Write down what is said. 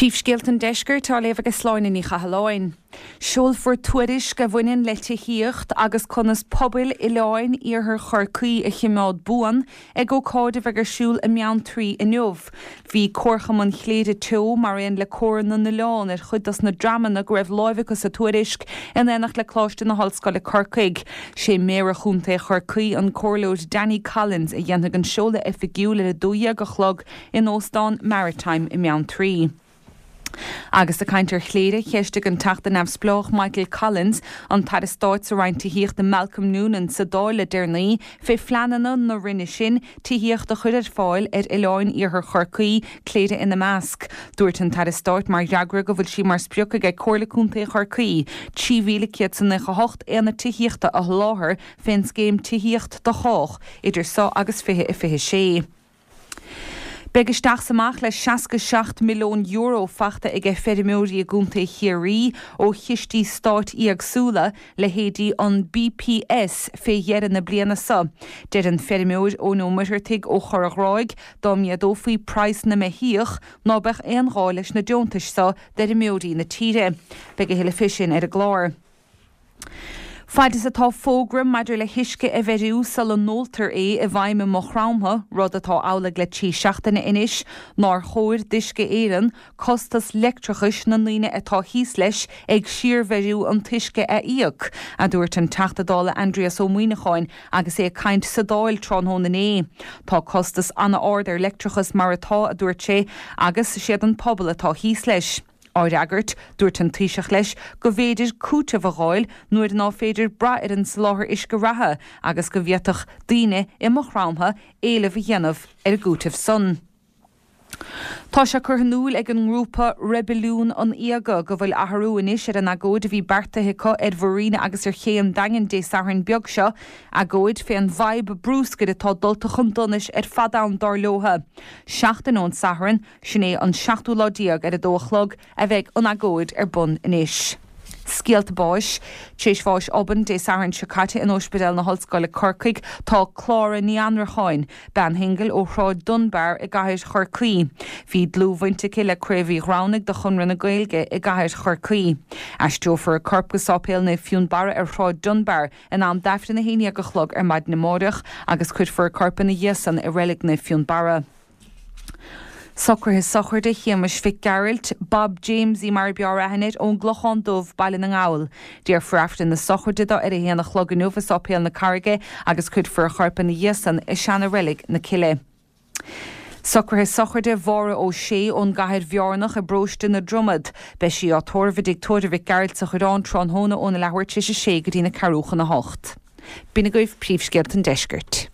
Príomhscéalta an Deiscirt á léamh ag Sláine Ní Chathalláin. Seolfar tuairisc a bhaineann le tithíocht agus conas pobail oileáin iarthar Chorcaí a chimeád buan ag ócáid a bheidh ar siúl i mBeanntraí inniu. Bhí Comharchumann Chléire Teo mar aon le Comhar na nOileán ar chuid dos na dreamanna go raibh láimh acu sa tuairisc in éineacht le Coláiste na hOllscoile Corcaigh. Sé Méara Chontae Chorcaí, an Comhairleoir Danny Collins a dhéanfaidh an seoladh oifigiúil ar 12 a chlog in Óstán Maritime i mBeanntraí. Agus ag caint ar Chléire, cheistigh an Teachta Neamhspleách Michael Collins an tAire Stáit sa Roinn Tithíochta Malcolm Noonan sa Dáil le deireanaí fé phleananna na Roinne sin tithíocht a chur ar fáil ar oileáin iarthar Chorcaí, Cléire ina measc. Dúirt an tAire Stáit mar fhreagra go bhfuil sí mar sprioc aige Comhairle Contae Chorcaí 3,198 aonad tithíochta a sholáthar fén scéim Tithíocht do Chách idir seo agus 2026. Beidh isteach 's amach le €67 milliún fachta aige feirmeoirí i gContae Chiarraí ó chistí stáit éagsúla, leithéidí an BPS, fé dheireadh na bliana seo. Deir an feirmeoir Eoin Ó Muircheartaigh ó Chorr a' Ghráig dá méadófaí praghas na mbeithíoch ná beadh aon ghá leis na deontais seo d'fheirmeoirí na tíre. Beidh a thuilleadh fé sin ar an gclár. Faid is atá fógra maidir le huisce a bheiriú sula n-óltar é i bhfeidhm i Maigh Chromtha, rud atá amhlaidh le 3 seachtaine anois, nár chóir d'Uisce Éireann costas leictreachais na ndaoine atá thíos leis ag síorbheiriú an t-uisce a íoc, a dúirt an Teachta Dála Aindrias Ó Muíneacháin agus é ag caint sa Dáil tráthnóna inné. Tá costas an-ard ar leictreachas mar atá, a dúirt sé, agus siad an pobal atá thíos leis. Á fhreagairt, dúirt an Taoiseach leis go mb'fhéidir cúiteamh a dh'fháil nuair ná féidir brath ar an soláthar uisce reatha agus go bhféadfadh daoine i Maigh Chromtha éileamh a dhéanamh ar an gcúiteamh san. Tá sé curtha in iúil ag an ngrúpa Reibiliún an Fhíoga go bhfuil athrú anois ar an agóid a bhí beartaithe acu ar Mharina agus ar Ché an Daingin Dé Sathairn beag seo, agóid fén bhfadhb brúscair atá dulta chun donais ar fad ann dar leotha. Seachtain ón Satharn, Sin é an seachtú lá déag ar a dó a chlog a bheidh an agóid ar bun anois. Scéalta báis. Tar éis bháis obann Dé Sathairn seo caite in Ospidéal na hOllscoile Corcaigh tá Clára Ní Annracháin, bean shingil ó Shráid Dunbar i gcathair Chorcaí. Bhí dlúthbhaint aici le Craobh Uí Ghramhnaigh de Chonradh na Gaeilge i gcathair Chorcaí. Aistreofar a corp go Sáipéal Naomh Fionnbarra ar Shráid Dunbar in am d'Aifreann a haon dhéag a chlog ar maidin amáireach agus cuirfear a corp ina dhiaidh san i Reilig Naomh Fionnbarra. Socruithe sochraide Shéamais Mhic Gearailt, Bob Jamesie mar a b'fhearr aithne air, ón gClochán Dubh, Baile na nGall. Déarfar Aifreann na sochraide dó ar a haon a chlog inniu i Sáipéal na Carraige agus cuirfear a chorp ina dhiaidh san i seana-reilig na Cille. Socruithe sochraide Mháire Ó Sé ón gCathair Bheárnach i bparóiste na Dromad. Beidh sí á tórramh i dTigh Tórraimh Mhic Gearailt sa Choireán tráthnóna óna leathuair tar éis a sé go dtína ceathrú chun a hocht. B'in agaibh príomhscéalta an deiscirt.